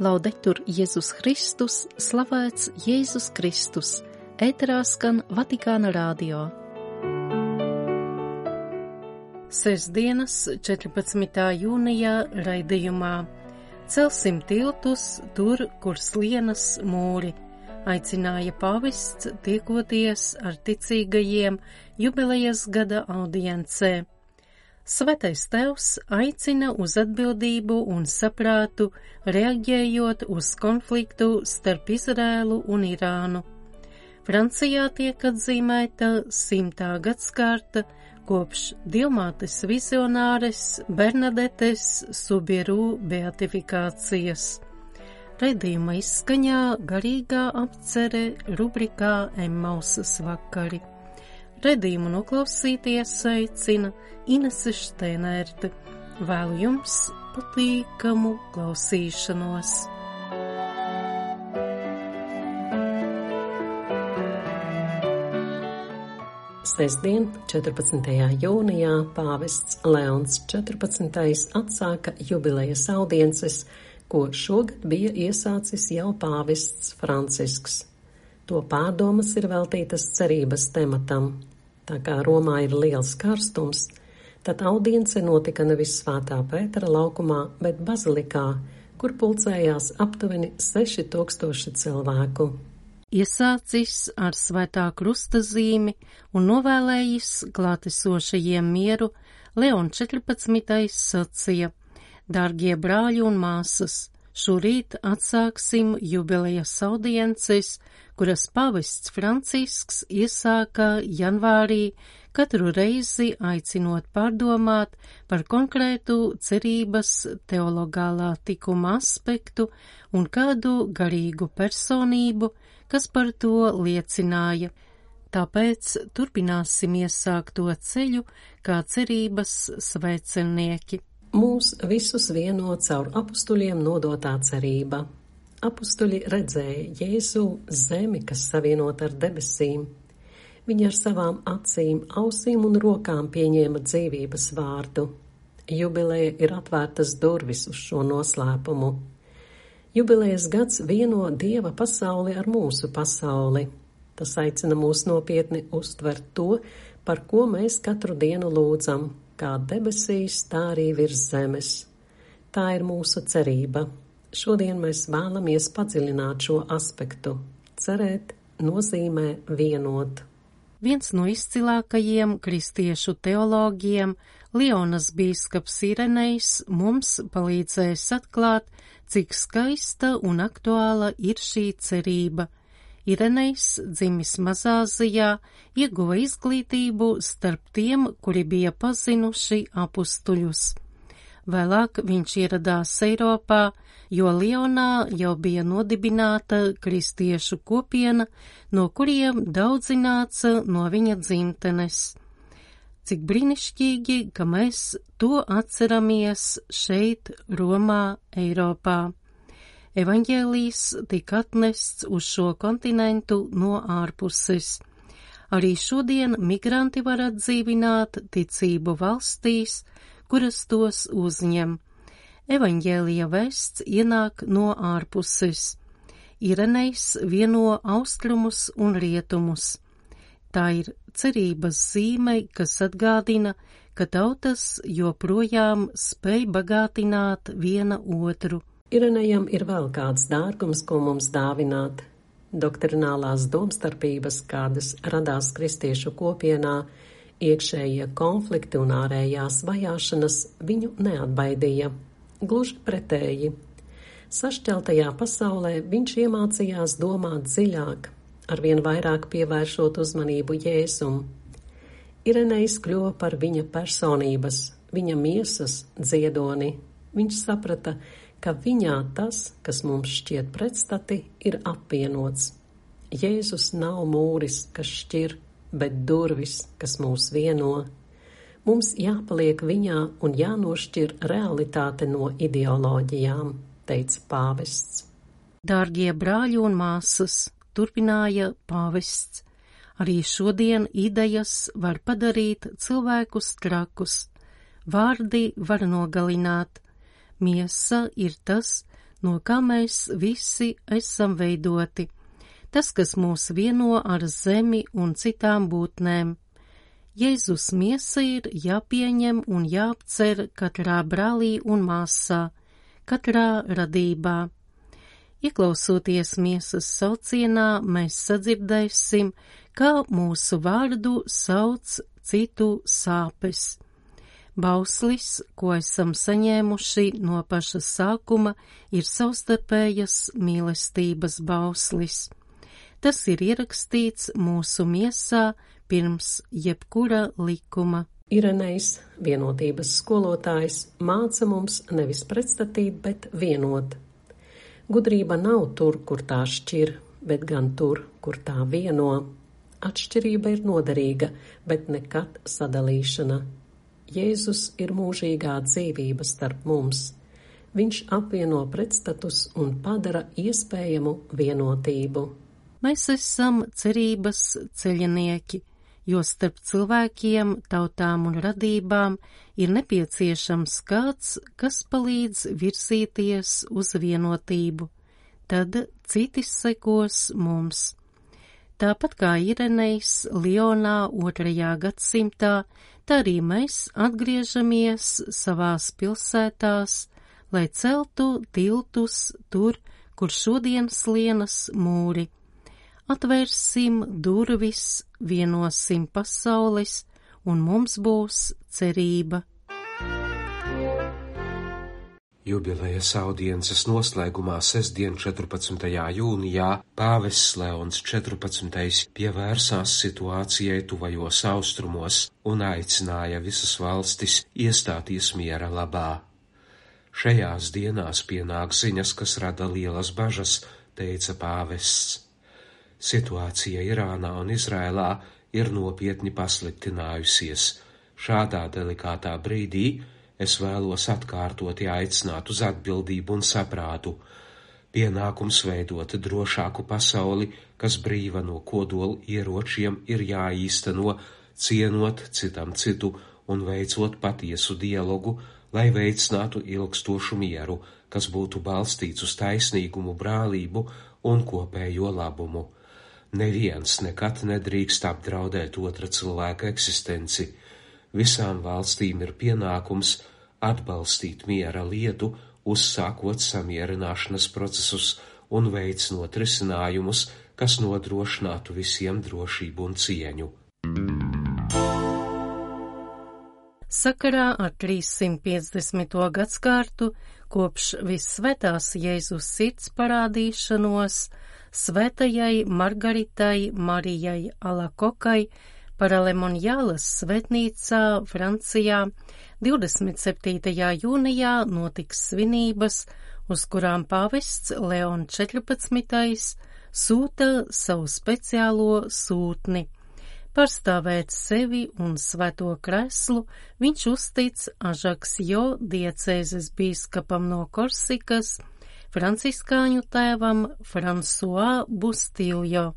Laudetur Jēzus Kristus, slavēts Jēzus Kristus, ēterā skan Vatikāna radio. Sestdienas 14. jūnijā raidījumā Celsim tiltus tur, kur slienas mūri, aicināja pāvests tiekoties ar ticīgajiem jubilejas gada audiencē. Svētais Tēvs aicina uz atbildību un saprātu, reaģējot uz konfliktu starp Izrēlu un Irānu. Francijā tiek atzīmēta 100. gadskārta kopš Dievmātes vizionāres Bernadetes Subieru beatifikācijas. Raidījuma izskaņā garīgā apcere rubrikā Emmausas vakari. Raidījumu noklausīties aicina Inese Šteinerte. Vēlu jums patīkamu klausīšanos. Sestdien, 14. jūnijā, pāvests Leons 14. atsāka jubilejas audiences, ko šogad bija iesācis jau pāvests Francisks. To pārdomas ir veltītas cerības tematam. Tā kā Romā ir liels karstums, tad audience notika nevis Svētā Pētera laukumā, bet bazilikā, kur pulcējās aptuveni 6000 cilvēku. Iesācis ar Svētā krusta zīmi un novēlējis klātesošajiem mieru, Leon 14. sacīja: Dārgie brāļi un māsas, šorīt atsāksim jubilejas audiences, kuras pāvests Francisks iesāka janvārī, katru reizi aicinot pārdomāt par konkrētu cerības teologālā tikuma aspektu un kādu garīgu personību, kas par to liecināja. Tāpēc turpināsim iesākto ceļu kā cerības svētceļnieki. Mūs visus vieno caur apustuļiem nodotā cerība. Apustuļi redzēja Jēzu zemi, kas savienota ar debesīm. Viņi ar savām acīm, ausīm un rokām pieņēma dzīvības vārdu. Jubileja ir atvērtas durvis uz šo noslēpumu. Jubilejas gads vieno Dieva pasauli ar mūsu pasauli. Tas aicina mūs nopietni uztvert to, par ko mēs katru dienu lūdzam, kā debesīs, tā arī virs zemes. Tā ir mūsu cerība. Šodien mēs vēlamies padziļināt šo aspektu. Cerēt nozīmē vienot. Viens no izcilākajiem kristiešu teologiem, Lionas bīskaps Irenejs, mums palīdzēs atklāt, cik skaista un aktuāla ir šī cerība. Irenejs, dzimis Mazāzijā, ieguva izglītību starp tiem, kuri bija pazinuši apustuļus. Vēlāk viņš ieradās Eiropā, jo Lionā jau bija nodibināta kristiešu kopiena, no kuriem daudzi nāca no viņa dzimtenes. Cik brīnišķīgi, ka mēs to atceramies šeit, Romā, Eiropā. Evaņģēlijs tika atnests uz šo kontinentu no ārpuses. Arī šodien migranti var atdzīvināt ticību valstīs, kuras tos uzņem. Evaņģēlija vēsts ienāk no ārpuses. Irenejs vieno austrumus un rietumus. Tā ir cerības zīme, kas atgādina, ka tautas joprojām spēj bagātināt viena otru. Irenejam ir vēl kāds dārgums, ko mums dāvināt. Doktrinālās domstarpības, kādas radās kristiešu kopienā, iekšējie konflikti un ārējās vajāšanas viņu neatbaidīja. Gluži pretēji. Sašķeltajā pasaulē viņš iemācījās domāt dziļāk, arvien vairāk pievēršot uzmanību Jēzum. Irenejs kļuva par viņa personības, viņa miesas dziedoni. Viņš saprata, ka viņā tas, kas mums šķiet pretstati, ir apvienots. Jēzus nav mūris, kas šķir, bet durvis, kas mūs vieno. Mums jāpaliek viņā un jānošķir realitāte no ideoloģijām, teica pāvests. Dārgie brāļi un māsas, turpināja pāvests, arī šodien idejas var padarīt cilvēkus trakus. Vārdi var nogalināt. Miesa ir tas, no kā mēs visi esam veidoti. Tas, kas mūs vieno ar zemi un citām būtnēm. Jēzus miesa ir jāpieņem un jāapcer katrā brālī un māsā, katrā radībā. Ieklausoties miesas saucienā, mēs sadzirdēsim, kā mūsu vārdu sauc citu sāpes. Bauslis, ko esam saņēmuši no paša sākuma, ir savstarpējas mīlestības bauslis. Tas ir ierakstīts mūsu miesā pirms jebkura likuma. Irenejs, vienotības skolotājs, māca mums nevis pretstatīt, bet vienot. Gudrība nav tur, kur tā šķir, bet gan tur, kur tā vieno. Atšķirība ir noderīga, bet nekad sadalīšana. Jēzus ir mūžīgā dzīvība starp mums. Viņš apvieno pretstatus un padara iespējamu vienotību. Mēs esam cerības ceļinieki, jo starp cilvēkiem, tautām un radībām ir nepieciešams kāds, kas palīdz virzīties uz vienotību. Tad citi sekos mums. Tāpat kā Irenejs Lionā 2. gadsimtā, tā arī mēs atgriežamies savās pilsētās, lai celtu tiltus tur, kur šodien slienas mūri. Atvērsim durvis, vienosim pasaules, un mums būs cerība. Jubilejas audiences noslēgumā sestdien 14. jūnijā pāvests Leons 14. pievērsās situācijai tuvajos austrumos un aicināja visas valstis iestāties miera labā. Šajās dienās pienāk ziņas, kas rada lielas bažas, teica pāvests. Situācija Irānā un Izrēlā ir nopietni pasliktinājusies. Šādā delikātā brīdī es vēlos atkārtoti aicināt uz atbildību un saprātu. Pienākums veidot drošāku pasauli, kas brīva no kodola ieročiem, ir jāīsteno, cienot citam citu un veicot patiesu dialogu, lai veicinātu ilgstošu mieru, kas būtu balstīts uz taisnīgumu, brālību un kopējo labumu. Neviens nekad nedrīkst apdraudēt otra cilvēka eksistenci. Visām valstīm ir pienākums atbalstīt miera lietu, uzsākot samierināšanas procesus un veicinot risinājumus, kas nodrošinātu visiem drošību un cieņu. Sakarā ar 350. gadskārtu kopš Vissvētās Jēzus sirds parādīšanos Svētajai Margaritai Marijai Alakokai Paralemoniālas svētnīcā Francijā 27. jūnijā notiks svinības, uz kurām pāvests Leon 14. sūta savu speciālo sūtni. Pārstāvēt sevi un svēto kreslu viņš uztic Ažaksjo diecēzes bīskapam no Korsikas, franciskāņu tēvam François Bustiljo.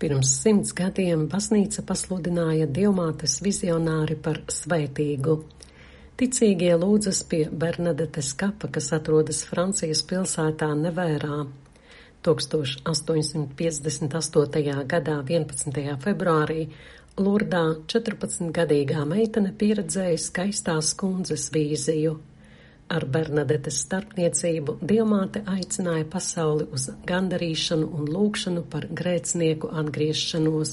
Pirms 100 gadiem baznīca pasludināja Dievmātes vizionāri par svētīgu. Ticīgie lūdzas pie Bernadetes kapa, kas atrodas Francijas pilsētā Nevērā. 1858. gadā 11. februārī Lurdā 14-gadīgā meitene pieredzēja skaistās kundzes vīziju. Ar Bernadetes starpniecību Dievmāte aicināja pasauli uz gandarīšanu un lūgšanu par grēcinieku atgriešanos.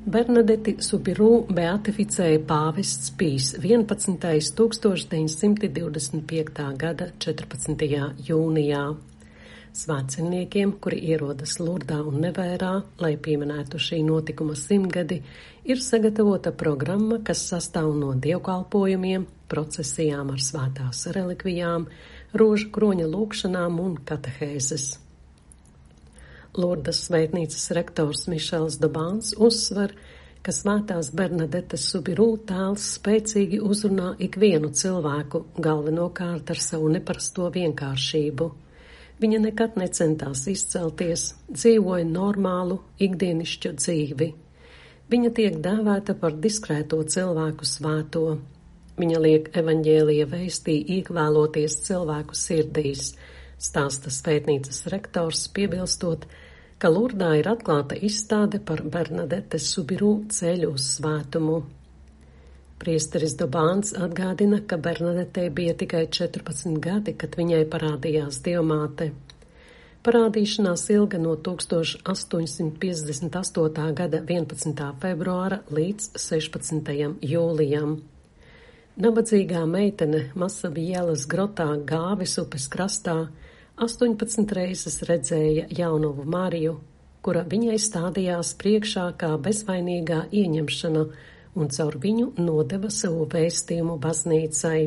Bernadeti Soubirous beatificēja pāvests Pijs 11. 1925. gada 14. jūnijā. Svētceļniekiem, kuri ierodas Lurdā un Nevērā, lai pieminētu šī notikuma 100-gadi, ir sagatavota programma, kas sastāv no dievkalpojumiem, procesijām ar svētās relikvijām, rožu kroņa lūgšanām un katehēzes. Lurdas svētnīcas rektors Mišels Dobāns uzsver, ka svētās Bernadetes Soubirous tēls spēcīgi uzrunā ikvienu cilvēku, galvenokārt ar savu neparasto vienkāršību. Viņa nekad necentās izcelties, dzīvoja normālu, ikdienišķu dzīvi. Viņa tiek dēvēta par diskrēto cilvēku svēto. Viņa liek evaņģēlija vēstī iekvēloties cilvēku sirdīs, stāsta svētnīcas rektors, piebilstot, ka Lurdā ir atklāta izstāde par Bernadetes Subiru ceļu uz svētumu. Priesteris Dobāns atgādina, ka Bernadetei bija tikai 14 gadi, kad viņai parādījās Dievmāte. Parādīšanās ilga no 1858. gada 11. februāra līdz 16. jūlijam. Nabadzīgā meitene Masavielas grotā Gāvis upes krastā 18 reizes redzēja jaunovu Mariju, kura viņai stādījās priekšā kā bezvainīgā ieņemšana un caur viņu nodeva savu vēstījumu baznīcai.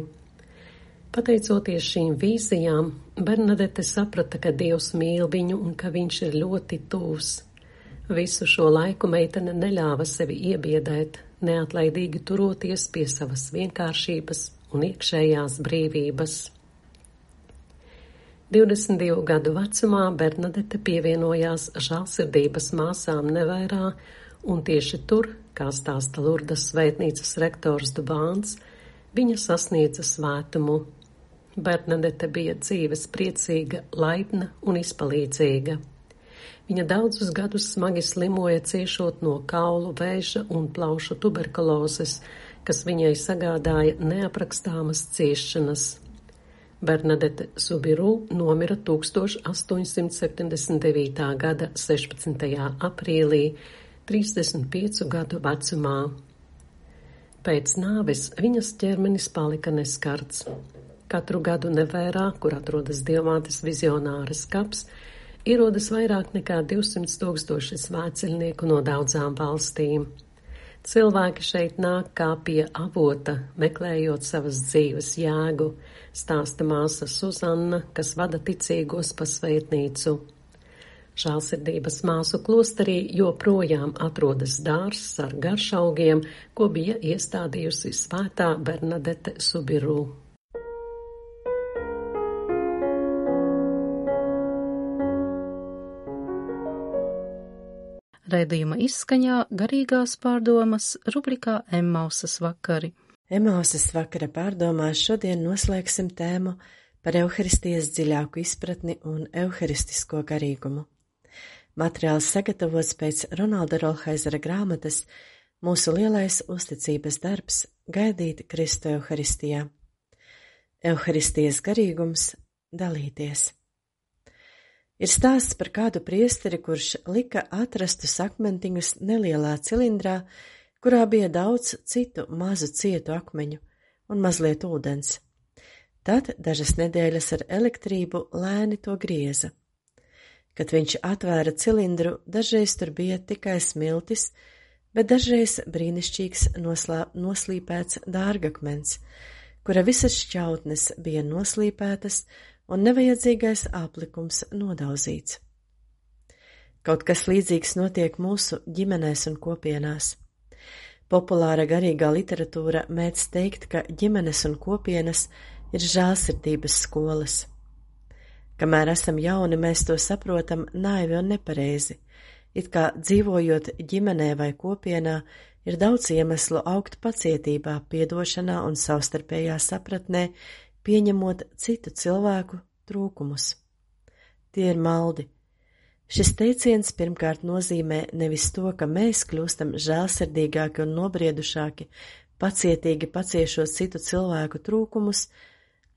Pateicoties šīm vīzijām, Bernadete saprata, ka Dievs mīl viņu un ka viņš ir ļoti tūs. Visu šo laiku meitene neļāva sevi iebiedēt, neatlaidīgi turoties pie savas vienkāršības un iekšējās brīvības. 22 gadu vecumā Bernadete pievienojās žēlsirdības māsām Nevērā, un tieši tur, kā stāsta Lurdas svētnīcas rektors Dubāns, viņa sasniedza svētumu. Bernadete bija dzīves priecīga, laipna un izpalīdzīga. Viņa daudzus gadus smagi slimoja, ciešot no kaulu vēža un plaušu tuberkulozes, kas viņai sagādāja neaprakstāmas ciešanas. Bernadete Subiru nomira 1879. gada 16. aprīlī, 35 gadu vecumā. Pēc nāves viņas ķermenis palika neskarts. Katru gadu Nevērā, kur atrodas Dievmātes vizionāras kaps, ierodas vairāk nekā 200 000 svētceļnieku no daudzām valstīm. Cilvēki šeit nāk kā pie avota, meklējot savas dzīves jēgu, stāsta māsa Suzanna, kas vada ticīgos pa svētnīcu. Žēlsirdības māsu klosterī joprojām atrodas dārzs ar garšaugiem, ko bija iestādījusi svētā Bernadete Subiru. Raidījuma izskaņā garīgās pārdomas rubrikā Emmausas vakari. Emmausas vakara pārdomās šodien noslēgsim tēmu par Euharistijas dziļāku izpratni un euharistisko garīgumu. Materiāls sagatavots pēc Ronalda Rolhaizera grāmatas Mūsu lielais uzticības darbs gaidīt Kristu Euharistijā. Euharistijas garīgums – dalīties. Ir stāsts par kādu priesteri, kurš lika atrastus akmentiņus nelielā cilindrā, kurā bija daudz citu mazu cietu akmeņu un mazliet ūdens. Tad dažas nedēļas ar elektrību lēni to grieza. Kad viņš atvēra cilindru, dažreiz tur bija tikai smiltis, bet dažreiz brīnišķīgs noslīpēts dārgakmens, kura visas šķautnes bija noslīpētas un nevajadzīgais aplikums nodauzīts. Kaut kas līdzīgs notiek mūsu ģimenēs un kopienās. Populāra garīgā literatūra mēdz teikt, ka ģimenes un kopienas ir žēlsirdības skolas. Kamēr esam jauni, mēs to saprotam naivi un nepareizi. It kā dzīvojot ģimenē vai kopienā, ir daudz iemeslu augt pacietībā, piedošanā un savstarpējā sapratnē, pieņemot citu cilvēku trūkumus. Tie ir maldi. Šis teiciens pirmkārt nozīmē nevis to, ka mēs kļūstam žēlsirdīgāki un nobriedušāki, pacietīgi paciešot citu cilvēku trūkumus,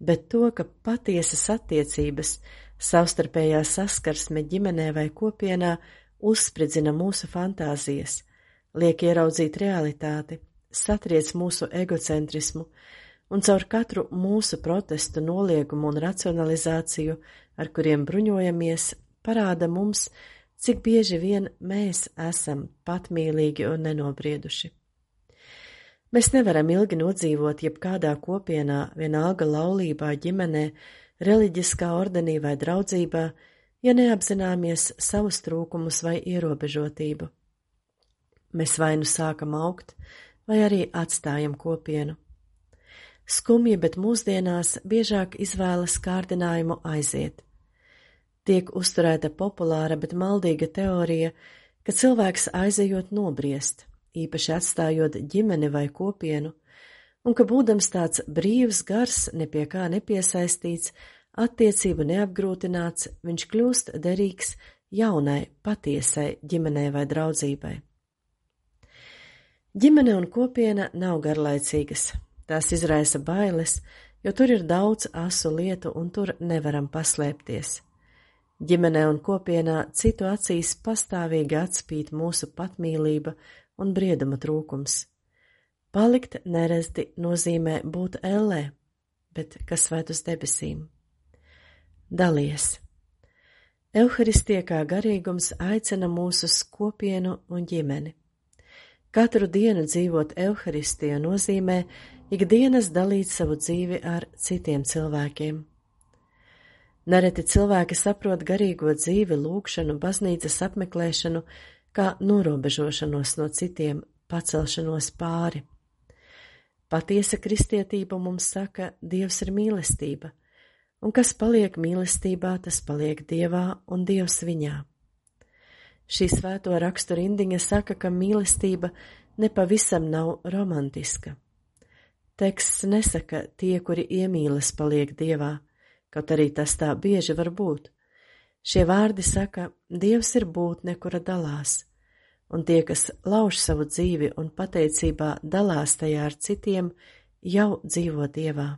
bet to, ka patiesas attiecības, savstarpējā saskarsme ģimenē vai kopienā uzspridzina mūsu fantāzijas, liek ieraudzīt realitāti, satriec mūsu egocentrismu un caur katru mūsu protestu, noliegumu un racionalizāciju, ar kuriem bruņojamies, parāda mums, cik bieži vien mēs esam patmīlīgi un nenobrieduši. Mēs nevaram ilgi nodzīvot jebkādā kopienā, vienalga laulībā, ģimenē, reliģiskā ordenī vai draudzībā, ja neapzināmies savus trūkumus vai ierobežotību. Mēs vai nu sākam augt, vai arī atstājam kopienu. Skumji, bet mūsdienās biežāk izvēlas kārdinājumu aiziet. Tiek uzturēta populāra, bet maldīga teorija, ka cilvēks aizejot nobriest, īpaši atstājot ģimeni vai kopienu, un ka būdams tāds brīvs gars, ne pie kā nepiesaistīts, attiecību neapgrūtināts, viņš kļūst derīgs jaunai, patiesai ģimenei vai draudzībai. Ģimene un kopiena nav garlaicīgas, tās izraisa bailes, jo tur ir daudz asu lietu un tur nevaram paslēpties. Ģimenē un kopienā citu acīs pastāvīgi atspīd mūsu patmīlība un brieduma trūkums. Palikt nerezti nozīmē būt ellē, bet kas svēt uz debesīm. Dalies. Euharistija kā garīgums aicina mūs uz kopienu un ģimeni. Katru dienu dzīvot Euharistiju nozīmē ikdienas dalīt savu dzīvi ar citiem cilvēkiem. Nereti cilvēki saprot garīgo dzīvi, lūgšanu, baznīcas apmeklēšanu kā norobežošanos no citiem, pacelšanos pāri. Patiesa kristietība mums saka, Dievs ir mīlestība, un kas paliek mīlestībā, tas paliek Dievā un Dievs viņā. Šī svēto rakstu rindiņa saka, ka mīlestība nepavisam nav romantiska. Teksts nesaka, tie, kuri iemīlas, paliek Dievā, kaut arī tas tā bieži var būt. Šie vārdi saka, Dievs ir būtne, kura dalās, un tie, kas lauž savu dzīvi un pateicībā dalās tajā ar citiem, jau dzīvo Dievā.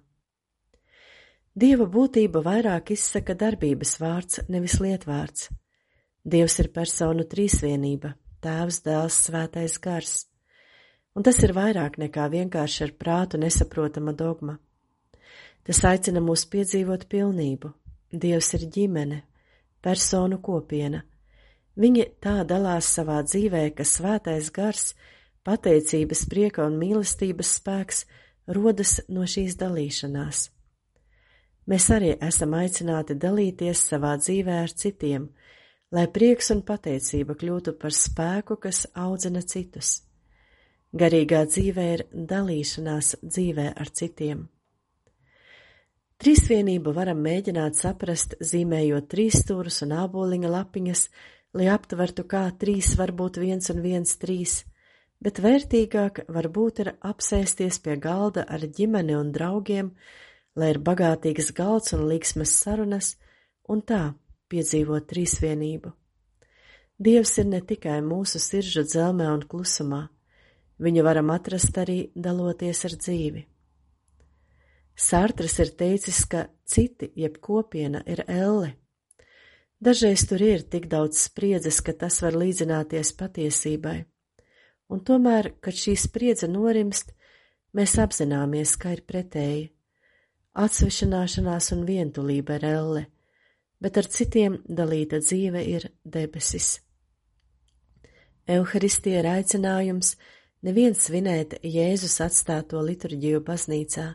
Dieva būtība vairāk izsaka darbības vārds, nevis lietvārds. Dievs ir personu trīsvienība, Tēvs, Dēls, Svētais Gars, un tas ir vairāk nekā vienkārši ar prātu nesaprotama dogma. Tas aicina mūs piedzīvot pilnību. Dievs ir ģimene, personu kopiena. Viņi tā dalās savā dzīvē, ka Svētais Gars, pateicības, prieka un mīlestības spēks rodas no šīs dalīšanās. Mēs arī esam aicināti dalīties savā dzīvē ar citiem, lai prieks un pateicība kļūtu par spēku, kas audzina citus. Garīgā dzīve ir dalīšanās dzīvē ar citiem. Trīsvienību varam mēģināt saprast, zīmējot trīsstūrus un āboliņa lapiņas, lai aptvertu, kā trīs var būt 1 un 1 3, bet vērtīgāk varbūt ir apsēsties pie galda ar ģimeni un draugiem, lai ir bagātīgs galds un līksmas sarunas, un tā piedzīvot trīsvienību. Dievs ir ne tikai mūsu sirdžu dzelmē un klusumā, viņu varam atrast arī daloties ar dzīvi. Sartrs ir teicis, ka citi, jeb kopiena, ir elle. Dažreiz tur ir tik daudz spriedzes, ka tas var līdzināties patiesībai, un tomēr, kad šī spriedze norimst, mēs apzināmies, ka ir pretēji. Atsvešināšanās un vientulība ir elle, bet ar citiem dalīta dzīve ir debesis. Euharistija ir aicinājums nevien svinēt Jēzus atstāto liturģiju baznīcā.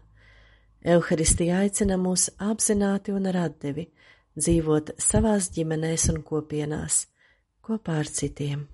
Euharistija aicina mūs apzināti un ar atdevi dzīvot savās ģimenēs un kopienās kopā ar citiem.